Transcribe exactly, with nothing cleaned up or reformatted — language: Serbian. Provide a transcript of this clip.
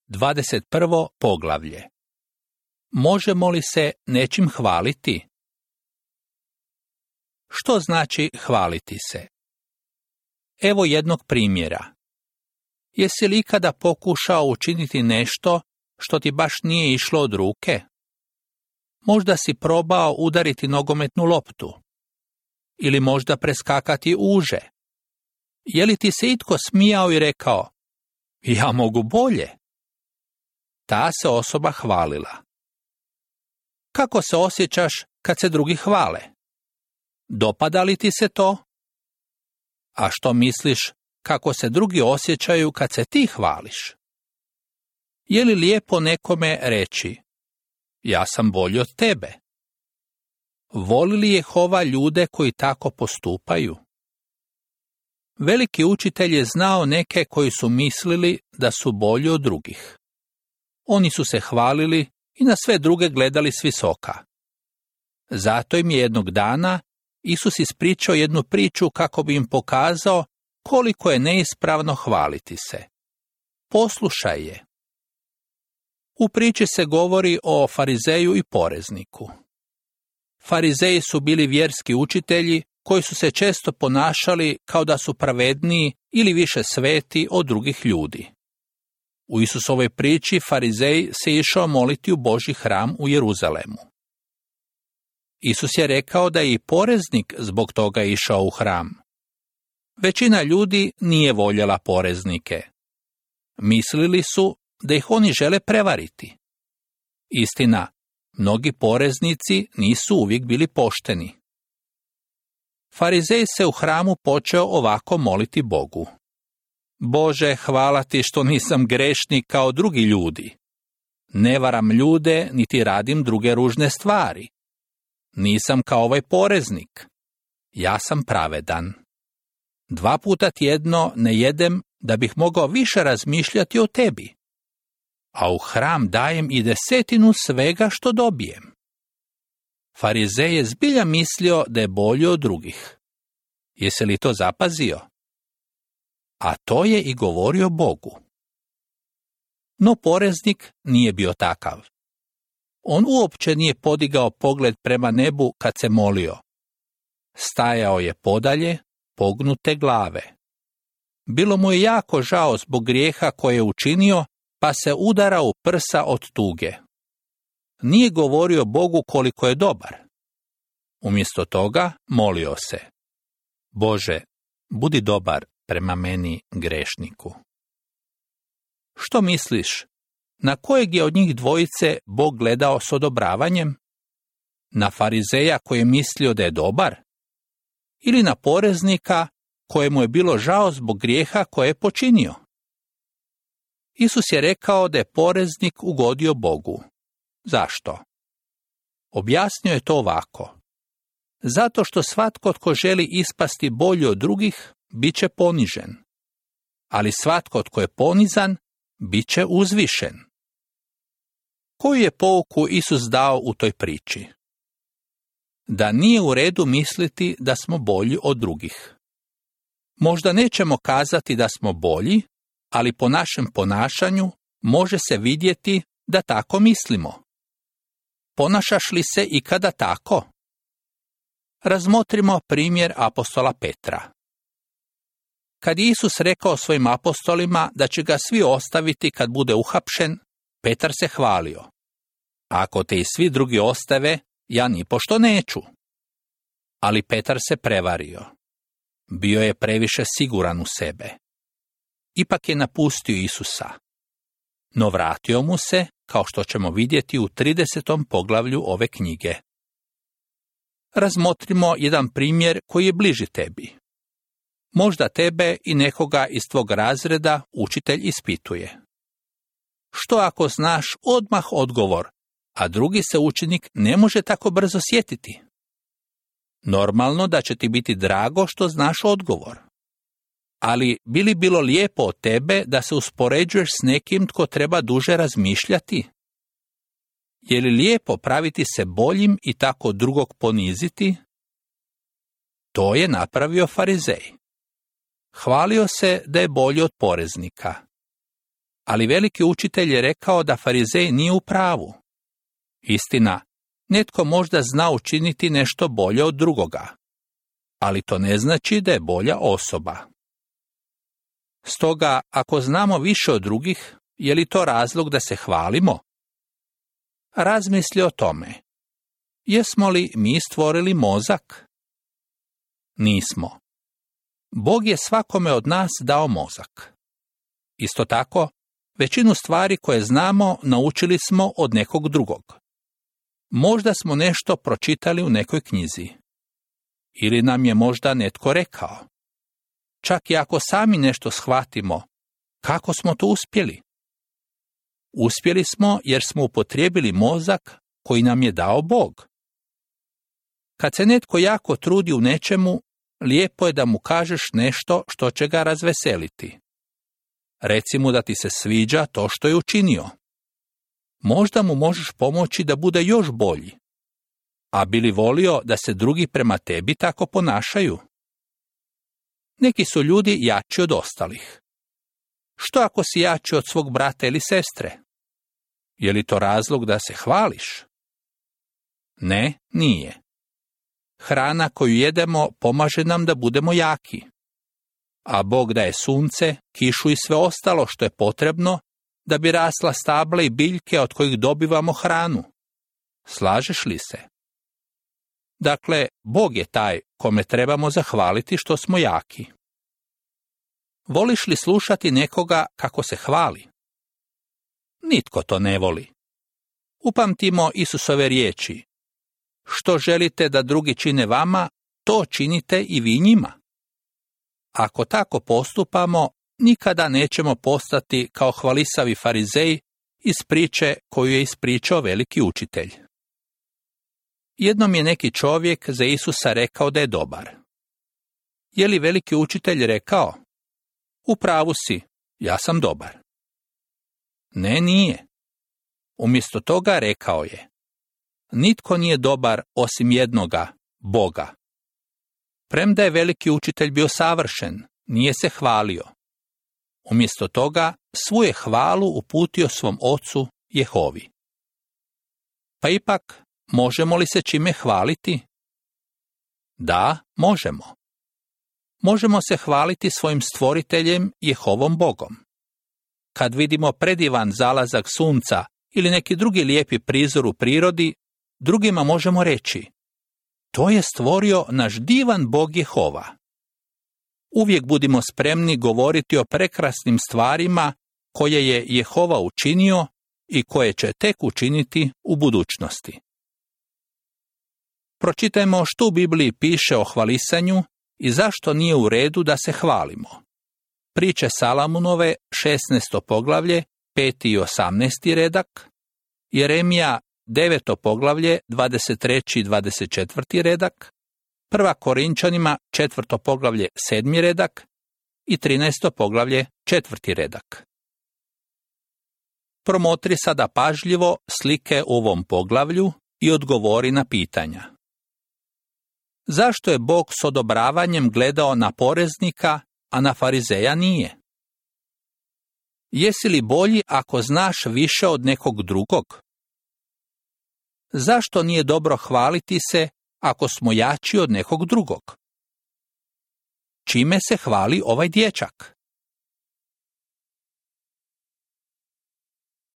dvadeset prvo poglavlje. Možemo li se nečim hvaliti? Što znači hvaliti se? Evo jednog primjera. Jesi li ikada pokušao učiniti nešto što ti baš nije išlo od ruke? Možda si probao udariti nogometnu loptu. Ili možda preskakati uže. Je li ti se itko smijao i rekao, ja mogu bolje? Ta se osoba hvalila. Kako se osjećaš kad se drugi hvale? Dopada li ti se to? A što misliš kako se drugi osjećaju kad se ti hvališ? Je li lijepo nekome reći, ja sam bolji od tebe? Voli li Jehova ljude koji tako postupaju? Veliki učitelj je znao neke koji su mislili da su bolji od drugih. Oni su se hvalili i na sve druge gledali s visoka. Zato im je jednog dana Isus ispričao jednu priču kako bi im pokazao koliko je neispravno hvaliti se. Poslušaj je. U priči se govori o farizeju i porezniku. Farizeji su bili vjerski učitelji koji su se često ponašali kao da su pravedniji ili više sveti od drugih ljudi. U Isusovoj priči farizej se išao moliti u Božji hram u Jeruzalemu. Isus je rekao da je i poreznik zbog toga išao u hram. Većina ljudi nije voljela poreznike. Mislili su da ih oni žele prevariti. Istina, mnogi poreznici nisu uvijek bili pošteni. Farizej se u hramu počeo ovako moliti Bogu. Bože, hvala ti što nisam grešnik kao drugi ljudi. Ne varam ljude, niti radim druge ružne stvari. Nisam kao ovaj poreznik. Ja sam pravedan. Dva puta tjedno ne jedem da bih mogao više razmišljati o tebi. A u hram dajem i desetinu svega što dobijem. Farizej je zbilja mislio da je bolji od drugih. Jesi li to zapazio? A to je i govorio Bogu. No poreznik nije bio takav. On uopće nije podigao pogled prema nebu kad se molio. Stajao je podalje, pognute glave. Bilo mu je jako žao zbog grijeha koje je učinio, pa se udarao u prsa od tuge. Nije govorio Bogu koliko je dobar. Umjesto toga molio se. Bože, budi dobar prema meni grešniku. Što misliš? Na kojeg je od njih dvojice Bog gledao s odobravanjem? Na farizeja koji je mislio da je dobar? Ili na poreznika kojemu je bilo žao zbog grijeha koje je počinio? Isus je rekao da je poreznik ugodio Bogu. Zašto? Objasnio je to ovako. Zato što svatko tko želi ispasti bolji od drugih, bit će ponižen. Ali svatko tko je ponizan, bit će uzvišen. Koju je pouku Isus dao u toj priči? Da nije u redu misliti da smo bolji od drugih. Možda nećemo kazati da smo bolji, ali po našem ponašanju može se vidjeti da tako mislimo. Ponašaš li se ikada tako? Razmotrimo primjer apostola Petra. Kad je Isus rekao svojim apostolima da će ga svi ostaviti kad bude uhapšen, Petar se hvalio. Ako te i svi drugi ostave, ja nipošto neću. Ali Petar se prevario. Bio je previše siguran u sebe. Ipak je napustio Isusa. No vratio mu se, kao što ćemo vidjeti u tridesetom poglavlju ove knjige. Razmotrimo jedan primjer koji je bliži tebi. Možda tebe i nekoga iz tvog razreda učitelj ispituje. Što ako znaš odmah odgovor, a drugi se učenik ne može tako brzo sjetiti? Normalno da će ti biti drago što znaš odgovor. Ali bi li bilo lijepo od tebe da se uspoređuješ s nekim tko treba duže razmišljati? Je li lijepo praviti se boljim i tako drugog poniziti? To je napravio farizej. Hvalio se da je bolji od poreznika. Ali veliki učitelj je rekao da farizej nije u pravu. Istina, netko možda zna učiniti nešto bolje od drugoga, ali to ne znači da je bolja osoba. Stoga, ako znamo više od drugih, je li to razlog da se hvalimo? Razmisli o tome. Jesmo li mi stvorili mozak? Nismo. Bog je svakome od nas dao mozak. Isto tako, većinu stvari koje znamo naučili smo od nekog drugog. Možda smo nešto pročitali u nekoj knjizi. Ili nam je možda netko rekao. Čak i ako sami nešto shvatimo, kako smo to uspjeli? Uspjeli smo jer smo upotrijebili mozak koji nam je dao Bog. Kad se netko jako trudi u nečemu, lijepo je da mu kažeš nešto što će ga razveseliti. Reci mu da ti se sviđa to što je učinio. Možda mu možeš pomoći da bude još bolji. A bi li volio da se drugi prema tebi tako ponašaju? Neki su ljudi jači od ostalih. Što ako si jači od svog brata ili sestre? Je li to razlog da se hvališ? Ne, nije. Hrana koju jedemo pomaže nam da budemo jaki. A Bog daje sunce, kišu i sve ostalo što je potrebno da bi rasla stabla i biljke od kojih dobivamo hranu. Slažeš li se? Dakle, Bog je taj kome trebamo zahvaliti što smo jaki. Voliš li slušati nekoga kako se hvali? Nitko to ne voli. Upamtimo Isusove riječi. Što želite da drugi čine vama, to činite i vi njima. Ako tako postupamo, nikada nećemo postati kao hvalisavi farizeji iz priče koju je ispričao veliki učitelj. Jednom je neki čovjek za Isusa rekao da je dobar. Je li veliki učitelj rekao? U pravu si, ja sam dobar. Ne, nije. Umjesto toga rekao je, nitko nije dobar osim jednoga, Boga. Premda je veliki učitelj bio savršen, nije se hvalio. Umjesto toga, svu je hvalu uputio svom ocu Jehovi. Pa ipak, možemo li se čime hvaliti? Da, možemo. Možemo se hvaliti svojim stvoriteljem Jehovom Bogom. Kad vidimo predivan zalazak sunca ili neki drugi lijepi prizor u prirodi, drugima možemo reći, to je stvorio naš divan Bog Jehova. Uvijek budimo spremni govoriti o prekrasnim stvarima koje je Jehova učinio i koje će tek učiniti u budućnosti. Pročitajmo što u Bibliji piše o hvalisanju i zašto nije u redu da se hvalimo. Priče Salamunove, šesnaesto poglavlje, peti i osamnaesti redak, Jeremija, deveto poglavlje, dvadeset treći i dvadeset četvrti redak, Prva Korinčanima, četvrto poglavlje, sedmi redak i trinaesto poglavlje, četvrti redak. Promotri sada pažljivo slike u ovom poglavlju i odgovori na pitanja. Zašto je Bog s odobravanjem gledao na poreznika, a na farizeja nije? Jesi li bolji ako znaš više od nekog drugog? Zašto nije dobro hvaliti se ako smo jači od nekog drugog? Čime se hvali ovaj dječak?